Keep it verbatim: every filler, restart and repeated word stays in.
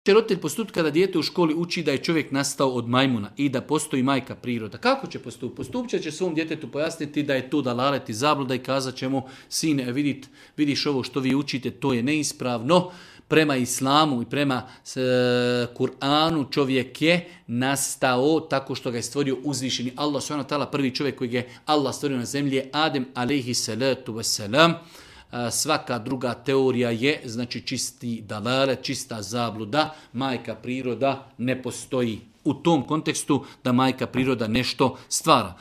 će roditelj postupiti kada dijete u školi uči da je čovjek nastao od majmuna i da postoji majka priroda? Kako će postupiti? Postupit će svom djetetu pojasniti da je to dalalet i zabluda i kazat će mu, sine, vidit, vidiš ovo što vi učite, to je neispravno. Prema islamu i prema e, Kur'anu čovjek je nastao tako što ga je stvorio uzvišeni Allah subhanahu wa ta'ala. Prvi čovjek koji je Allah stvorio na zemlji je Adem alejhi salatu vesselam. Svaka druga teorija je, znači, čisti dalale, čista zabluda, majka priroda ne postoji. U tom kontekstu da majka priroda nešto stvara.